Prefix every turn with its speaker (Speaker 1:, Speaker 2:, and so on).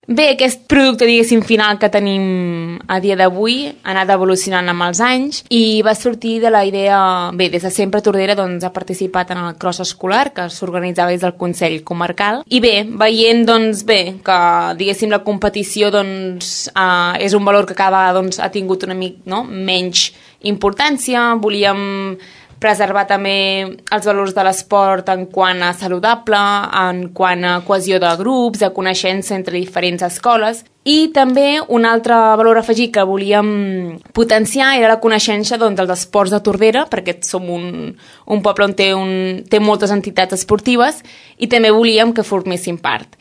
Speaker 1: Bé, aquest producte, diguéssim, final que tenim a dia d'avui ha anat evolucionant amb els anys i va sortir de la idea... Bé, des de sempre Tordera ha participat en el cross escolar que s'organitzava des del Consell Comarcal i bé, veient que, diguéssim, la competició és un valor que cada vegada ha tingut una mica menys importància, volíem preservar també els valors de l'esport en quant a saludable, en quant a cohesió de grups, de coneixença entre diferents escoles. I també un altre valor afegit que volíem potenciar era la coneixença dels esports de Tordera, perquè som un poble on té moltes entitats esportives i també volíem que formessin part.